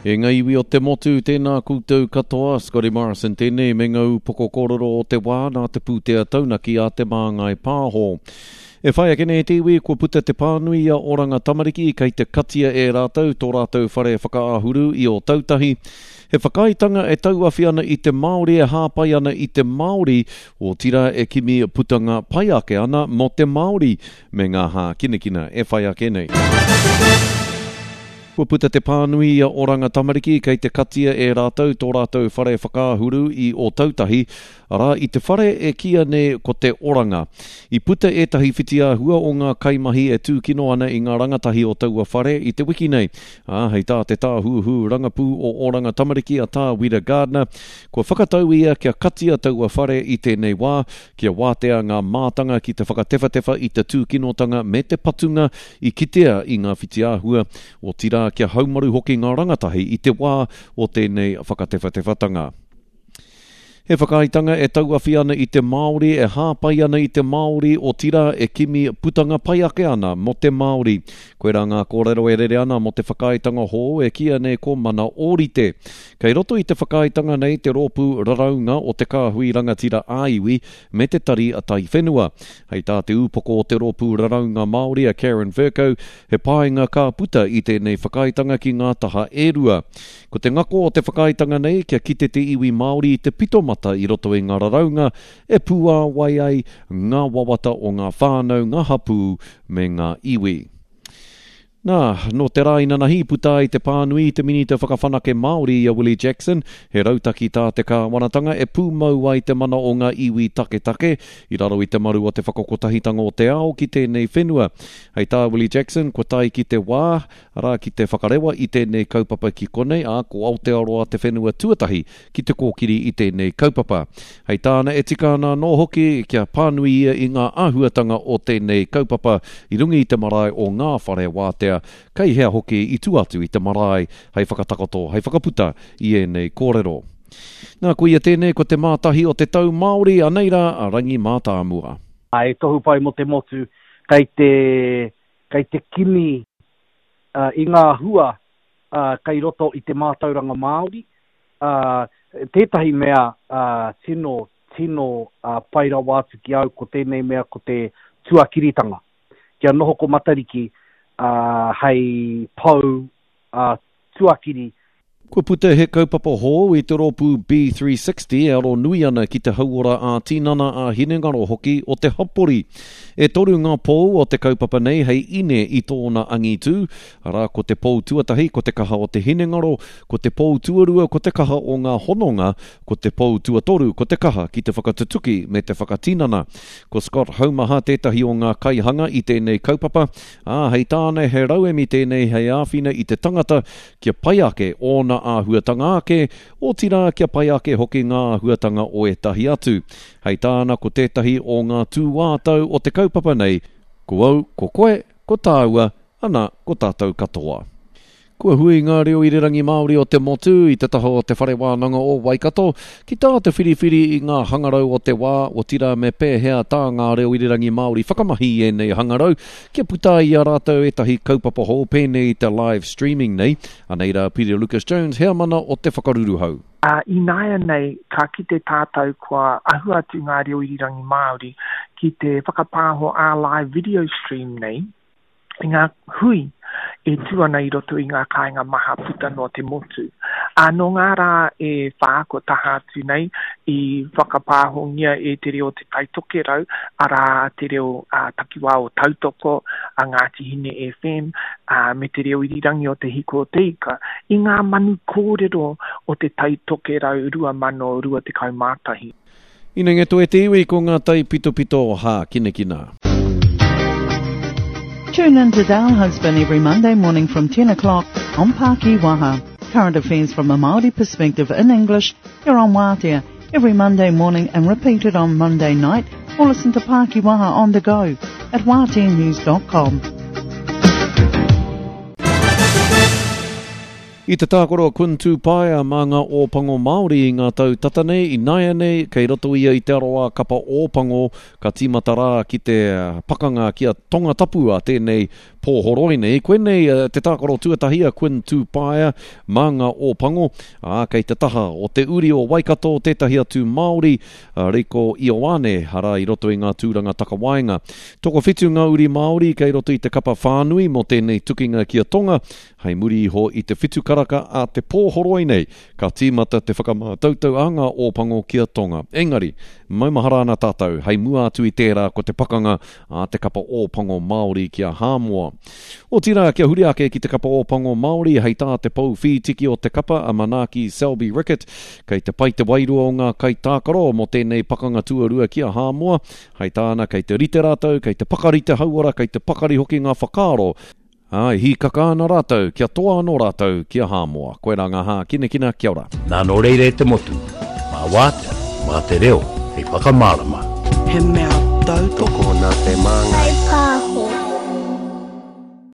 E ngā iwi o te motu, tēnā koutou katoa, Scotty Morrison tēnei me ngā upoko kōrero o te wā nā te pūtea taunaki a Te Māngai Pāho. E whai ake nei te iwi, kua puta te pānui i a Oranga Tamariki kei te katia e rātou tō rātou whare whakaahuru i Ōtautahi. He whakaaetanga e tauawhi ana i te Māori e hāpai ana i te Māori, otirā e kimi putanga pai ake ana mō te Māori me ngā hākinakina e whai ake nei. Kua puta te pānui i a Oranga Tamariki kei te katia e rātou tō rātou whare whakaahuru i Ōtautahi, arā, i te whare e kīia nei ko Te Oranga. I puta ētahi whitiāhua o ngā kaimahi e tūkino ana i ngā rangatahi o taua whare i te wiki nei, ā, hei tā te tāhuhu rangapū o Oranga Tamariki a Tā Wira Gardiner, kua whakatau ia kia katia taua whare i tēnei wā, kia wātea ngā mātanga ki te whakatewhatewha i te tūkinotanga me te patunga i kitea i ngā whitiāhua, otirā kia haumaru hoki ngā rangatahi i te wā o tēnei whakatewhatewhatanga. He whakaaetanga e tauawhi ana i te Māori, e hāpai ana i te Māori, otirā e kimi putanga pai ake ana mō te Māori. Koirā ngā kōrero e rere ana mō te whakaaetanga hou e kīia nei ko Mana Ōrite. Kei roto i te whakaaetanga nei te rōpū raraunga o te Kāhui Rangatira ā-Iwi me te Tari Taiwhenua. Hei tā te ūpoko o te Rōpū Raraunga Māori a Karen Vercoe, he painga ka puta i tēnei whakaaetanga ki ngā taha e rua. Ko te ngako o te whakaaetanga nei kia kite te iwi Māori i te pitomata i roto i ngā raraunga e pūāwai ai ngā wawata o ngā whānau, ngā hapū me ngā iwi. Nā, nō te rā inanahi i puta ai te pānui i te Minita Whakawhanake Māori i a Willie Jackson, he rautaki tā te kāwanatanga e pūmau ai te mana o ngā iwi taketake i raro i te maru o te whakakotahitanga o te ao ki tēnei whenua. Hei tā Willie Jackson, kua tae ki te wā, arā, ki te whakarewa i tēnei kaupapa ki konei, ā, ko Aotearoa te whenua tuatahi ki te kōkiri i tēnei kaupapa. Hei tāna e tika ana anō hoki kia pānui ia i ngā āhuatanga o tēnei kaupapa i runga i te marae o ngā whare wātea, kei hea hoki i tua atu i te marae hei whakatakoto, hei whakaputa i ēnei kōrero. Nā, koia tēnei ko te mātahi o te tau Māori, anei rā a Rangi Mātāmua. He tohu pai mō te motu kei te, kei te kimi i ngā hua kei roto i te mātauranga Māori, ā, tētahi mea tino, tino pai rawa atu ki au ko tēnei mea ko te tuakiritanga. Kia noho ko Matariki hei pou tuakiri. Kua puta he kaupapa hou i te rōpū B360 e aro nui ana ki te hauora ā-tinana, ā-hinengaro hoki o te hapori. E toru ngā pou o te kaupapa nei hei ine i tōna angitū, Arā, ko te pou tuatahi ko te kaha o te hinengaro, ko te pou tuarua ko te kaha o ngā hononga, ko te pou tuatoru ko te kaha ki te whakatutuki me te whakatinana. Ko Scott Haumaha tētahi o ngā kaihanga i tēnei kaupapa, ā, hei tāna he rauemi tēnei hei āwhina i te tangata kia pai ake ōna āhuatanga ake, otirā kia pai ake hoki ngā āhuatanga o ētahi atu. Hei tāna ko tētahi o ngā tūātau o te kaupapa nei, ko au, ko koe, ko tāua, Ana, ko tātou katoa. Kua hui ngā reo irirangi Māori o te motu i te taha o Te Whare Wānanga o Waikato ki tā te whiriwhiri i ngā hangarau o te wā, otirā me pēhea tā ngā reo irirangi Māori whakamahi i ēnei hangarau kia puta ai i a rātou ētahi kaupapa hou pēnei i te live streaming nei. Anei rā Peter Lucas Jones, heamana o Te Whakaruruhau. Ā, ināianei ka kite tātou kua ahu atu ngā reo irirangi Māori ki te whakapāho ā-live video stream nei, i ngā hui e tū ana i roto i ngā kāinga maha puta noa te motu. Ā, nō ngā rā e whā kua taha atu nei i whakapāhongia e Te Reo o Te Tai Tokerau, arā, te reo ā-takiwā o Tautoko, a Ngāti Hine FM, ā, me te reo irirangi o Te Hiko o Te Ika, i ngā manu kōrero o Te Tai Tokerau 2021. Inenge toe te iwi ko ngā taipitopito hākinakina. Tune in to Dale Husband every Monday morning from 10 o'clock on Paki Waha. Current affairs from a Māori perspective in English here on Wātea every Monday morning and repeated on Monday night or listen to Paki Waha on the go at wāteanews.com. I te tākaro a Kun Tūpaea mā ngā Ōpango Māori i ngā tau tata nei, ināianei, kei roto ia i te aroā kapa Ōpango, ka tīmata rā ki te pakanga ki a Tongatapu a tēnei pōhoroi nei. Koinei te tākaro tuatahi a Quinn Tūpaea mā ngā Ōpango, ā, kei te taha o te uri o Waikato tētahi atu Māori, a Reiko Ioane, arā i roto i ngā tūranga takawaenga. Tokowhitu ngā uri Māori kei roto i te kapa whānui mō tēnei tukinga ki a Tonga, hei muri iho i te whitu karaka a te pōhoroi nei, Ka tīmata te whakamātautau a ngā Ōpango ki a Tonga. Engari, maumahara ana tātou, hei mua atu i tērā ko te pakanga a te kapa Ōpango Māori ki a Hāmoa. Otirā, kia huri ake ki te kapa Ōpango Māori, hei tā te pou whītiki o te kapa a Manaaki Selby Rickit, kei te pai te wairua o ngā kaitākaro mō tēnei pakanga tuarua ki a Hāmoa. Hei tāna, kei te rite rātou, kei te pakari te hauora, kei te pakari hoki ngā whakaaro, Ā, e hīkaka ana rātou, kia toa anō rātou ki a Hāmoa. Koirā ngā hākinakina, kia ora. Nā nō reira e te motu, mā Wātea, mā te reo hei whakamārama. He mea tautoko. Tokona te māngai.